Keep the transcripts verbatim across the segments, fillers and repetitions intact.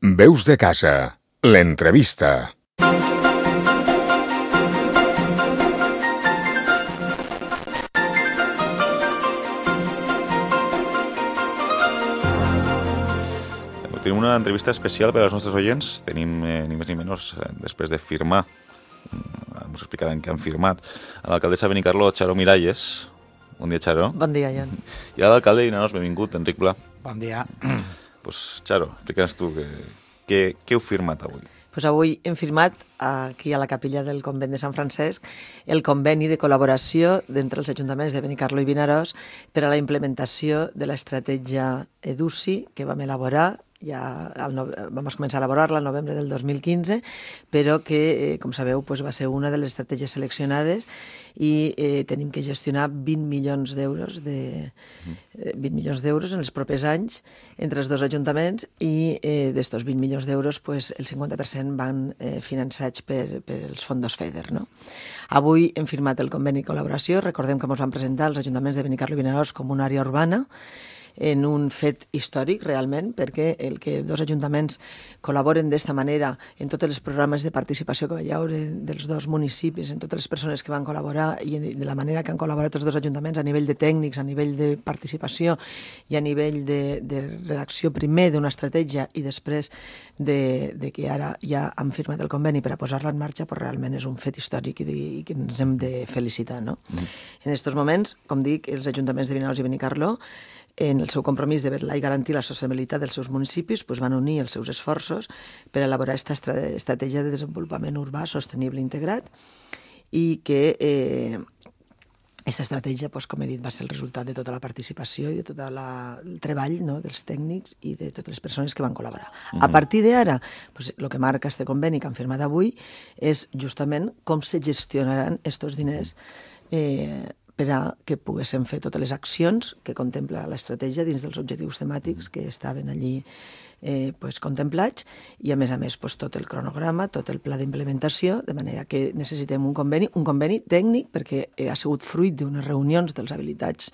Veus de casa, l'entrevista. Tenim una entrevista especial per als nostres oients. Tenim eh, ni més ni menys, eh, després de firmar, ens explicaran què han firmat, a l'alcaldessa de Benicarló, Charo Miralles. Bon dia, Charo. Bon dia, Jan. I a l'alcalde de Vinaròs, benvingut, Enric Pla. Bon dia. Pues, Charo, explica'ns tu què, què, què heu firmat avui. Pues avui hem firmat aquí a la capella del convent de Sant Francesc el conveni de col·laboració d'entre els ajuntaments de Benicarló i Vinaròs per a la implementació de l'estratègia EDUSI que vam elaborar. Ja el no... vam començar a elaborar-la al novembre del dos mil quinze, però que, eh, com sabeu, pues, va ser una de les estratègies seleccionades i eh, tenim que gestionar vint milions d'euros de... eh, vint milions d'euros en els propers anys entre els dos ajuntaments i eh, d'estos vint milions d'euros pues, el cinquanta per cent van eh, finançats per, per els fondos FEDER. No? Avui hem firmat el conveni de col·laboració. Recordem que ens van presentar els ajuntaments de Benicarló i Vinaròs com una àrea urbana, en un fet històric, realment, perquè el que dos ajuntaments col·laboren d'esta manera en tots els programes de participació que hi haure dels dos municipis, en totes les persones que van col·laborar i de la manera que han col·laborat els dos ajuntaments a nivell de tècnics, a nivell de participació i a nivell de, de redacció primer d'una estratègia i després de, de que ara ja han firmat el conveni per a posar-la en marxa, pues realment és un fet històric i, de, i que ens hem de felicitar. No? Mm. En aquests moments, com dic, els ajuntaments de Vinaròs i Benicarló, en el seu compromís de vetllar i garantir la sostenibilitat dels seus municipis, doncs van unir els seus esforços per elaborar aquesta estratègia de desenvolupament urbà sostenible integrat i que eh, aquesta estratègia, doncs, com he dit, va ser el resultat de tota la participació i de tot la, el treball, no?, dels tècnics i de totes les persones que van col·laborar. Mm-hmm. A partir d'ara, doncs, el que marca este conveni que han firmat avui és justament com se gestionaran aquests diners eh, per a que poguéssim fer totes les accions que contempla l'estratègia dins dels objectius temàtics que estaven allí eh, pues, contemplats i, a més a més, pues, tot el cronograma, tot el pla d'implementació, de manera que necessitem un conveni, un conveni tècnic perquè ha sigut fruit d'unes reunions dels habilitats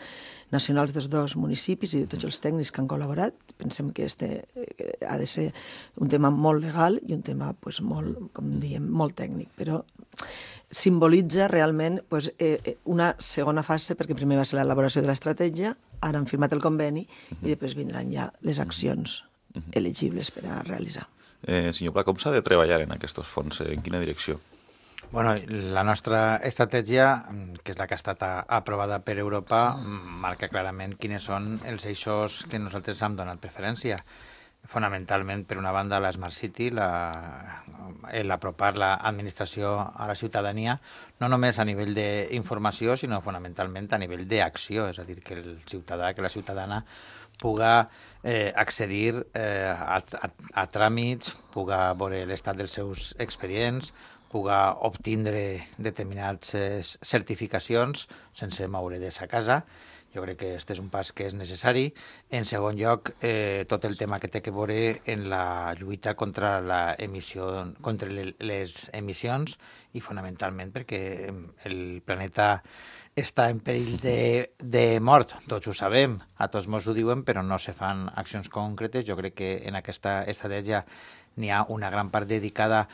nacionals dels dos municipis i de tots els tècnics que han col·laborat. Pensem que este eh, ha de ser un tema molt legal i un tema pues, molt, com diem, molt tècnic, però simbolitza realment pues, eh, una segona fase, perquè primer va ser l'elaboració de l'estratègia, ara han firmat el conveni uh-huh. i després vindran ja les accions uh-huh. elegibles per a realitzar. Eh, senyor Pla, com s'ha de treballar en aquests fons? En quina direcció? Bueno, la nostra estratègia, que és la que ha estat aprovada per Europa, marca clarament quins són els eixos que nosaltres hem donat preferència. Fonamentalment, per una banda, la Smart City, l'apropar l'administració a la ciutadania, no només a nivell d'informació, sinó fonamentalment a nivell d'acció, és a dir, que el ciutadà, que la ciutadana puga eh, accedir eh, a, a, a tràmits, puga veure l'estat dels seus expedients, puga obtindre determinades certificacions sense moure de sa casa. Jo crec que aquest és un pas que és necessari. En segon lloc, eh, tot el tema que té que veure en la lluita contra, la emissió, contra les emissions i fonamentalment perquè el planeta està en perill de, de mort. Tots ho sabem, a tots mos ho diuen, però no se fan accions concretes. Jo crec que en aquesta estratègia n'hi ha una gran part dedicada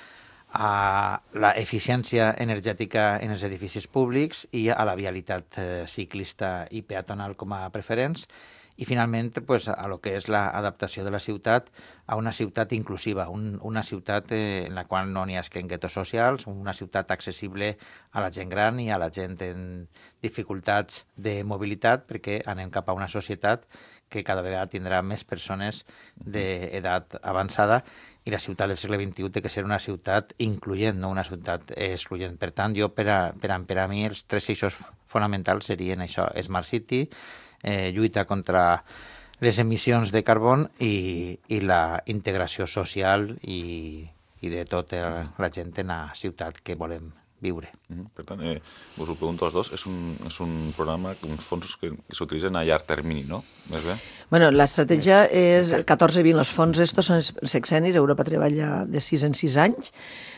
a l'eficiència energètica en els edificis públics i a la vialitat eh, ciclista i peatonal com a preferents i finalment pues, a lo que és l'adaptació de la ciutat a una ciutat inclusiva, un, una ciutat eh, en la qual no n'hi hagi guetos socials, una ciutat accessible a la gent gran i a la gent en dificultats de mobilitat perquè anem cap a una societat que cada vegada tindrà més persones d'edat avançada i la ciutat del segle vint-i-u té que ser una ciutat incloent, no una ciutat excloent. Per tant, jo, per a, per a, per a mi, els tres eixos fonamentals serien això, Smart City, eh, lluita contra les emissions de carbon i, i la integració social i, i de tota la gent en la ciutat que volem viure. Mm-hmm. Per tant, eh, us ho pregunto als dos, és un, és un programa, uns fons que, que s'utilitzen a llarg termini, no? Més bé? Bueno, l'estratègia és catorze vint, els fons estos són els sexenis, Europa treballa de sis en sis anys,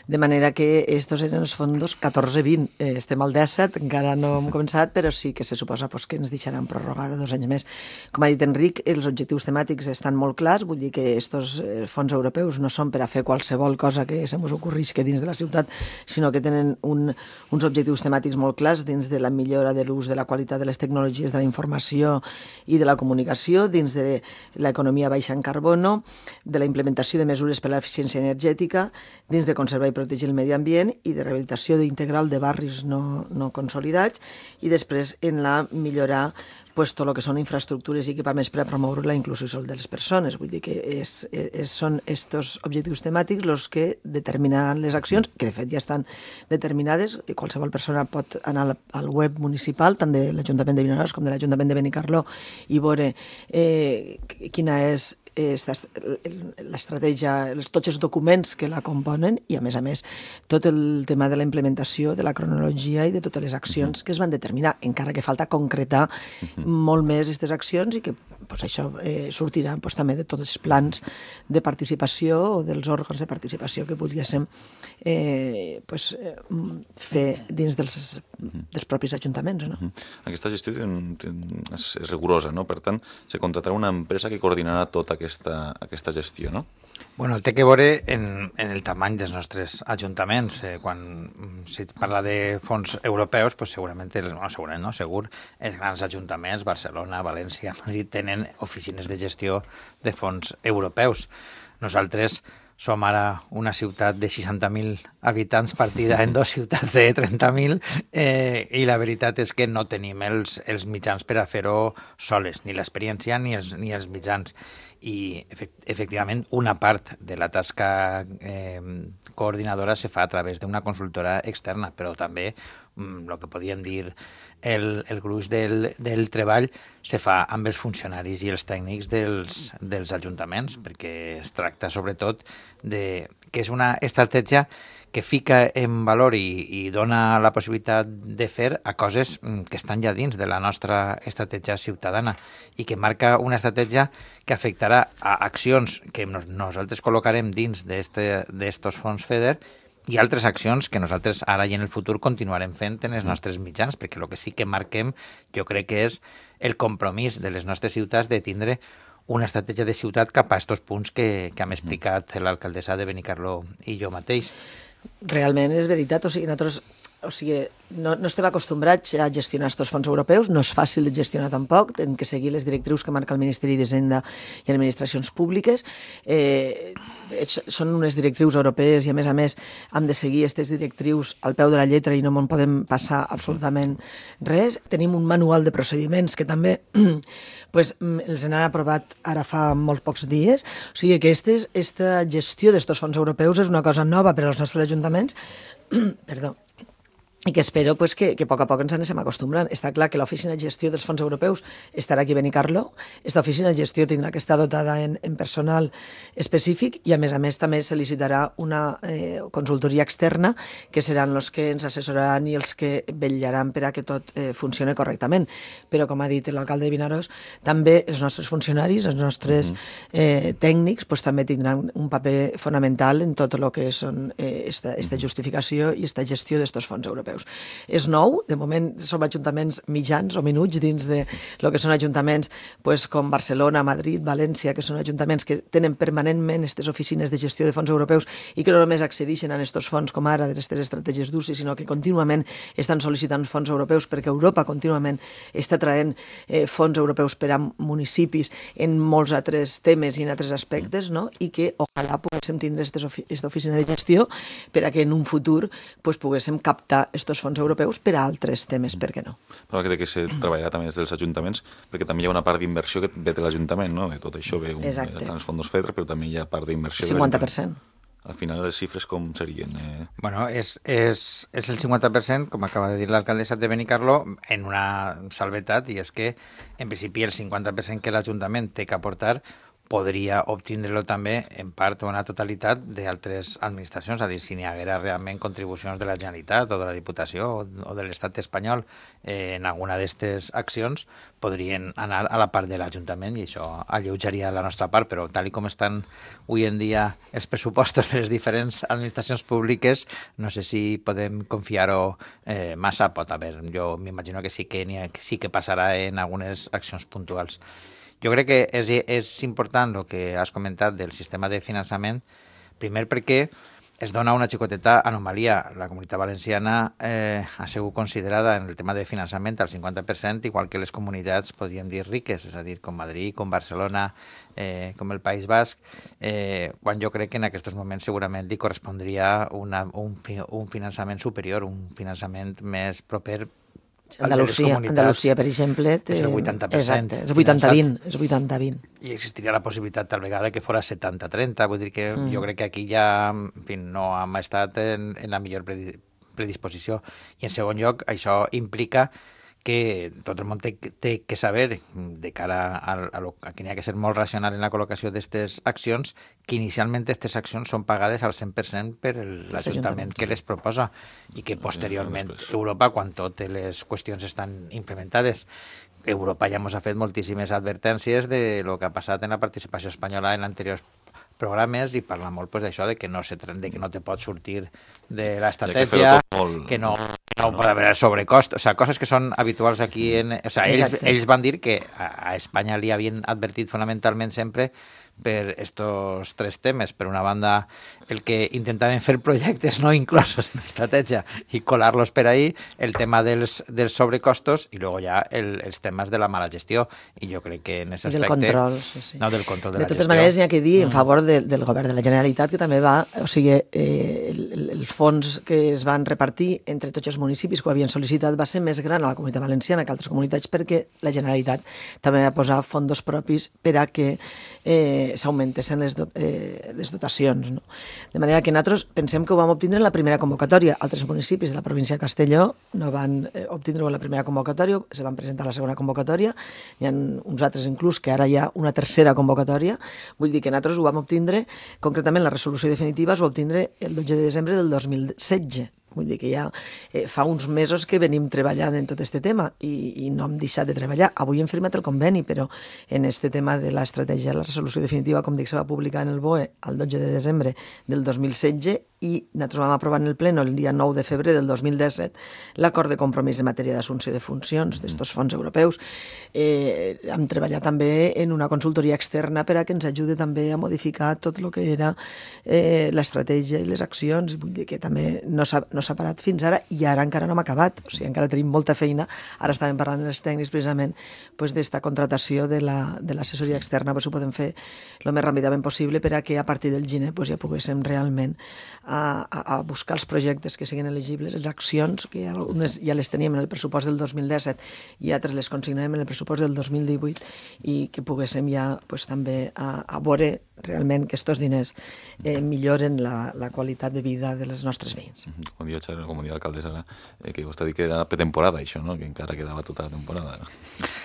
de manera que estos eren els fons catorze vint, eh, estem al disset, encara no hem començat, però sí que se suposa pues, que ens deixaran prorrogar dos anys més. Com ha dit Enric, els objectius temàtics estan molt clars, vull dir que estos fons europeus no són per a fer qualsevol cosa que se mos ocorrís que dins de la ciutat, sinó que tenen un, uns objectius temàtics molt clars dins de la millora de l'ús de la qualitat de les tecnologies de la informació i de la comunicació, dins de l'economia baixa en carbono, de la implementació de mesures per a l'eficiència energètica, dins de conservar i protegir el medi ambient i de rehabilitació integral de barris no, no consolidats, i després en la millorar pues, tot el que són infraestructures i equipaments per a promoure la inclusió social de les persones. Vull dir que és, és, són estos objectius temàtics els que determinaran les accions, que de fet ja estan determinades. Qualsevol persona pot anar al web municipal, tant de l'Ajuntament de Vinaròs com de l'Ajuntament de Benicarló, i veure eh, quina és l'estratègia, tots els documents que la componen i, a més a més, tot el tema de la implementació, de la cronologia i de totes les accions que es van determinar, encara que falta concretar molt més aquestes accions i que pues, això eh, sortirà pues, també de tots els plans de participació o dels òrgans de participació que volguéssim eh, pues, eh, fer dins dels, dels propis ajuntaments. No? Aquesta gestió és, és rigorosa, no? Per tant, se contratarà una empresa que coordinarà tota aquesta, aquesta gestió, no? Bueno, té que veure en, en el tamany dels nostres ajuntaments. Eh, quan si parla de fons europeus, pues segurament, no, segurament no, segur, els grans ajuntaments, Barcelona, València, Madrid, tenen oficines de gestió de fons europeus. Nosaltres som ara una ciutat de seixanta mil habitants partida en dues ciutats de trenta mil eh, i la veritat és que no tenim els, els mitjans per a fer-ho soles, ni l'experiència ni els, ni els mitjans. I efectivament una part de la tasca eh, coordinadora se fa a través d'una consultora externa, però també el que podíem dir el, el gruix del, del treball se fa amb els funcionaris i els tècnics dels, dels ajuntaments, perquè es tracta sobretot de que és una estratègia que fica en valor i, i dona la possibilitat de fer a coses que estan ja dins de la nostra estratègia ciutadana i que marca una estratègia que afectarà a accions que nos, nosaltres col·locarem dins d'estos fons FEDER i altres accions que nosaltres ara i en el futur continuarem fent en els nostres mitjans, perquè el que sí que marquem jo crec que és el compromís de les nostres ciutats de tindre una estratègia de ciutat cap a aquests punts que, que hem explicat l'alcaldessa de Benicarló i jo mateix. Realment és veritat, o sigui, nosaltres o sigui, no, no estem acostumbrats a gestionar aquests fons europeus, no és fàcil de gestionar tampoc, hem que seguir les directrius que marca el Ministeri d'Hisenda i Administracions Públiques. Eh, són unes directrius europees i, a més a més, hem de seguir aquestes directrius al peu de la lletra i no en podem passar absolutament res. Tenim un manual de procediments que també pues, els han aprovat ara fa molt pocs dies. O sigui que estes, esta gestió d'aquests fons europeus és una cosa nova per als nostres ajuntaments. Perdó. I que espero pues, que, que a poc a poc ens anem acostumbrant. Està clar que l'oficina de gestió dels fons europeus estarà aquí a Benicarló. Aquesta oficina de gestió tindrà que estar dotada en, en personal específic i, a més a més, també se licitarà una eh, consultoria externa que seran els que ens assessoraran i els que vetllaran per a que tot eh, funcioni correctament. Però, com ha dit l'alcalde de Vinaròs, també els nostres funcionaris, els nostres eh, tècnics, pues, també tindran un paper fonamental en tot el que són eh, esta, esta justificació i esta gestió d'aquests fons europeus. És nou, de moment som ajuntaments mitjans o minuts dins de lo que són ajuntaments pues, com Barcelona, Madrid, València, que són ajuntaments que tenen permanentment aquestes oficines de gestió de fons europeus i que no només accedeixen a aquests fons com ara d'aquestes estratègies d'U C I, sinó que contínuament estan sol·licitant fons europeus perquè Europa contínuament està traient eh, fons europeus per a municipis en molts altres temes i en altres aspectes, no? I que ojalà poguéssim tindre aquesta oficina de gestió per a que en un futur pues, poguéssim captar aquests fons europeus per a altres temes, per què no? Però que, que se treballarà també des dels ajuntaments, perquè també hi ha una part d'inversió que ve de l'Ajuntament, no? De tot això ve un, els fons FEDER, però també hi ha part d'inversió. cinquanta per cent. Al final les xifres com serien? Eh? Bueno, és, és, és el cinquanta per cent, com acaba de dir l'alcaldessa de Benicarló, en una salvetat, i és que, en principi, el cinquanta per cent que l'Ajuntament té que aportar podria obtindre-lo també en part o una totalitat d'altres administracions, és a dir, si n'hi haguera realment contribucions de la Generalitat o de la Diputació o, o de l'Estat espanyol eh, en alguna d'aquestes accions, podrien anar a la part de l'Ajuntament i això alleujaria la nostra part, però tal i com estan avui en dia els pressupostos de les diferents administracions públiques, no sé si podem confiar-ho eh, massa, pot haver, jo m'imagino que sí que, ha, sí que passarà en algunes accions puntuals. Jo crec que és, és important el que has comentat del sistema de finançament, primer perquè es dona una xicoteta anomalia. La Comunitat Valenciana eh, ha sigut considerada en el tema de finançament al cinquanta per cent, igual que les comunitats, podríem dir, riques, és a dir, com Madrid, com Barcelona, eh, com el País Basc, eh, quan jo crec que en aquests moments segurament li correspondria una, un, un finançament superior, un finançament més proper. Andalusia, Andalusia, per exemple, té... és el vuitanta per cent. Exacte, és vuitanta vint, és vuitanta vint. I existiria la possibilitat tal vegada que fos setanta trenta, vull dir que mm. jo crec que aquí ja en fi, no hem estat en, en la millor predisposició. I en segon lloc, això implica que tot el món té, té que saber, de cara a, a, lo, a que n'hi ha que ser molt racional en la col·locació d'aquestes accions, que inicialment aquestes accions són pagades al cent per cent per l'Ajuntament que les proposa i que posteriorment Europa, quan totes les qüestions estan implementades, Europa ja ens ha fet moltíssimes advertències de lo que ha passat en la participació espanyola en anteriors programes i parla molt pues, d'això, de que no se de que no te pots sortir de l'estratègia, que, molt... que no, no pot haver sobrecost, o sea, coses que són habituals aquí. En, o sea, ells, ells van dir que a, a Espanya li havien advertit fonamentalment sempre per estos tres temes. Per una banda, el que intentaven fer projectes no inclosos en l'estratègia i colar-los per ahí, el tema dels, dels sobrecostos i luego ja el, els temes de la mala gestió. I jo crec que en aquest aspecte... Del control, sí, sí. No, del control de, de la gestió. De totes maneres, n'hi ha que dir en favor de, del govern de la Generalitat, que també va... O sigui, eh, el, els fons que es van repartir entre tots els municipis que ho havien sol·licitat va ser més gran a la Comunitat Valenciana que altres comunitats perquè la Generalitat també va posar fons propis per a que eh, s'augmentessin les, do, eh, les dotacions. No? De manera que nosaltres pensem que ho vam obtindre en la primera convocatòria. Altres municipis de la província de Castelló no van eh, obtindre-ho en la primera convocatòria, se van presentar a la segona convocatòria, hi ha uns altres inclús que ara hi ha una tercera convocatòria. Vull dir que nosaltres ho vam obtindre, concretament la resolució definitiva es va obtindre el dotze de desembre del dos mil setze. Vull dir que ja eh, fa uns mesos que venim treballant en tot aquest tema i, i no hem deixat de treballar. Avui hem firmat el conveni, però en aquest tema de l'estratègia, la resolució definitiva, com dic, se va publicar en el B O E el dotze de desembre del dos mil setze i nosaltres vam aprovar en el pleno el dia nou de febrer del dos mil disset l'acord de compromís en matèria d'assumpció de funcions d'estos fons europeus. Eh, hem treballat també en una consultoria externa per a que ens ajudi també a modificar tot el que era eh, l'estratègia i les accions. Vull dir que també no s'ha no s'ha parat fins ara i ara encara no hem acabat, o sigui, encara tenim molta feina. Ara estàvem parlant amb els tècnics precisament pues, d'esta contratació de l'assessoria la, externa, pues, ho podem fer el més ràpidament possible per a que a partir del gener pues, ja poguéssim realment a, a, a buscar els projectes que siguin elegibles, les accions, que algunes ja les teníem en el pressupost del dos mil disset i altres les consignarem en el pressupost del dos mil divuit i que poguéssim ja pues, també a, a veure realment que aquests diners eh, milloren la, la qualitat de vida de les nostres veïns. Com dia, com dia l'alcaldessa ara, eh, que vostè ha dit que era pretemporada, això, no? Que encara quedava tota la temporada. No?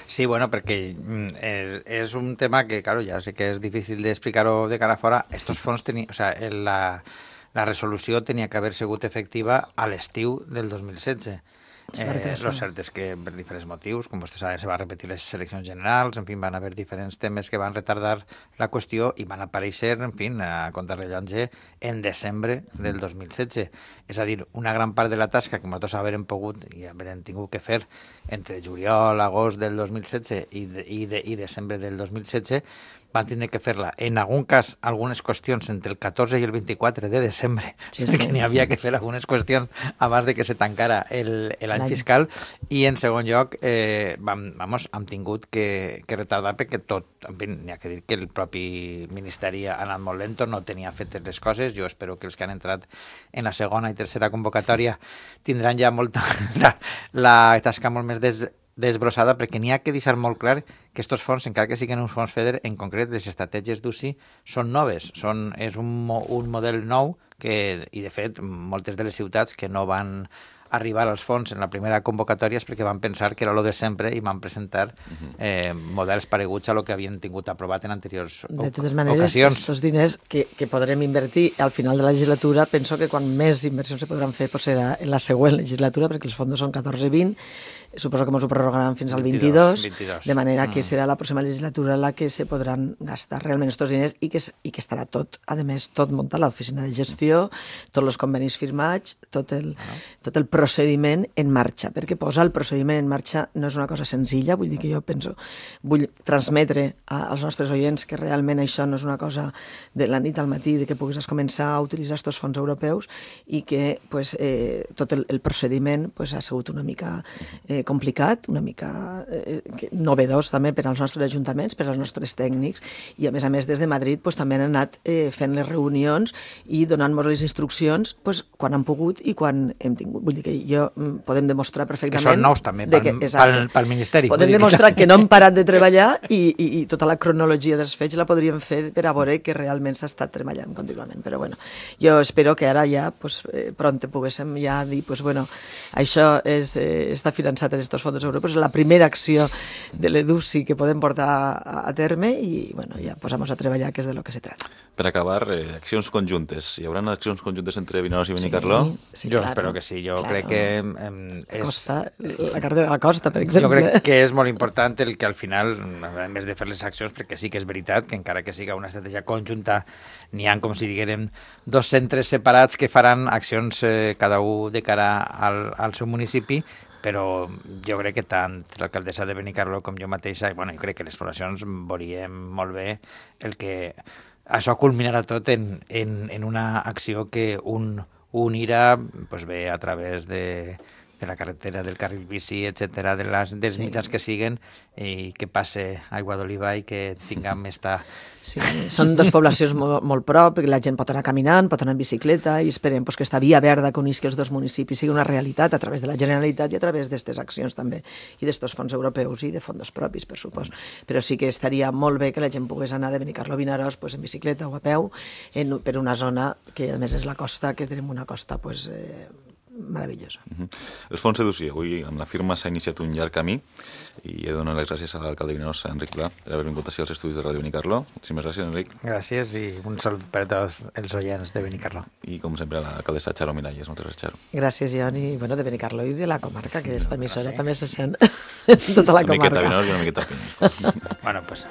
Sí, bueno, perquè eh, és un tema que, claro, ja sé que és difícil d'explicar-ho de cara a fora. Estos fons tenien, o sea, la, la resolució tenia que haver sigut efectiva a l'estiu del dos mil setze. Eh, lo cert és que per diferents motius, com vostè sap, se va repetir les eleccions generals, en fi, van haver diferents temes que van retardar la qüestió i van aparèixer, en fi, a contrarrellotge en desembre del dos mil setze. És a dir, una gran part de la tasca que nosaltres haurem pogut i haurem tingut que fer entre juliol, agost del dos mil setze i, de, i, de, i desembre del dos mil setze van tindre que fer-la, en algun cas, algunes qüestions entre el catorze i el vint-i-quatre de desembre, sí, sí. que n'hi havia que fer algunes qüestions abans de que se tancara l'any fiscal, i en segon lloc, eh, vam, vamos, hem tingut que, que retardar perquè tot, en fi, n'hi ha que dir que el propi Ministeri ha anat molt lento, no tenia fetes les coses. Jo espero que els que han entrat en la segona i tercera convocatòria tindran ja molta la, la tasca molt més des desbrossada, perquè n'hi ha que deixar molt clar que aquests fons, encara que siguin uns fons FEDER, en concret les estratègies d'U C I són noves, són, és un, un model nou que, i de fet moltes de les ciutats que no van arribar als fons en la primera convocatòria és perquè van pensar que era lo de sempre i van presentar eh, models pareguts a lo que havien tingut aprovat en anteriors ocasions. De totes maneres, aquests diners que, que podrem invertir al final de la legislatura, penso que quan més inversions se podran fer pues serà en la següent legislatura, perquè els fons són catorze i vint, suposo que ens ho prorrogaran fins al vint-i-dos, de manera que serà la pròxima legislatura la que se podran gastar realment aquests diners i que, i que estarà tot, a més, tot muntat, l'oficina de gestió, tots els convenis firmats, tot el, tot el procediment en marxa, perquè posar el procediment en marxa no és una cosa senzilla, vull dir que jo penso, vull transmetre als nostres oients que realment això no és una cosa de la nit al matí, de que puguis començar a utilitzar aquests fons europeus i que pues, eh, tot el, el procediment pues, ha sigut una mica eh, complicat, una mica eh, novedós també per als nostres ajuntaments, per als nostres tècnics, i a més a més des de Madrid pues, també han anat eh, fent les reunions i donant-nos les instruccions pues, quan han pogut i quan hem tingut. Vull dir que jo podem demostrar perfectament... Que són nous també pel, que, pel, pel Ministeri. Podem demostrar que no hem parat de treballar i, i, i tota la cronologia dels fets la podríem fer per a veure que realment s'ha estat treballant contínuament. Però bueno, jo espero que ara ja pues, eh, pront poguéssim ja dir pues, bueno, això és, eh, està finançat en aquests fons europeus, és la primera acció de l'EDUSI que podem portar a, a terme i bueno, ja posamos a treballar, que és de lo que se trata. Per acabar, eh, accions conjuntes. Hi haurà accions conjuntes entre Vinaròs i Benicarló? Sí, sí, jo claro, espero que sí. Jo claro. crec que... Eh, és... Costa, la carretera de la Costa, per exemple. Jo crec que és molt important el que al final, a més de fer les accions, perquè sí que és veritat que encara que siga una estratègia conjunta, n'hi ha, com si diguérem, dos centres separats que faran accions eh, cada un de cara al, al seu municipi, però jo crec que tant l'alcaldessa de Benicarló com jo mateixa, bueno, jo crec que les poblacions veuríem molt bé el que això culminarà tot en, en, en una acció que un, un irà pues bé a través de, de la carretera, del carril bici, etcètera, de les, dels sí. mitjans que siguen i que passe Aigua d'Oliva i que tinguem esta... Sí, són dues poblacions molt, molt prop, la gent pot anar caminant, pot anar en bicicleta i esperem pues, que esta via verda que unisqui els dos municipis sigui una realitat a través de la Generalitat i a través d'aquestes accions també i d'estos fons europeus i de fons propis, per supòs. Però sí que estaria molt bé que la gent pogués anar de Benicarló a Vinaròs pues, en bicicleta o a peu en, per una zona que a més és la costa, que tenim una costa pues, eh, meravellosa. Uh -huh. El fons EDUSI, avui amb la firma s'ha iniciat un llarg camí i he de donar les gràcies a l'alcalde de Vinaròs, Enric Pla, per haver vingut ací als estudis de Ràdio Benicarló. Moltíssimes gràcies, Enric. Gràcies i un salut per a tots els oients de Benicarló. I com sempre a l'alcaldessa Charo Miralles. Moltes gràcies, Charo. Gràcies, Jon, i bueno, de Benicarló i de la comarca, que esta emissora també se sent tota la comarca. Una miqueta Vinaròs i una miqueta Pinyes. Bueno, pues...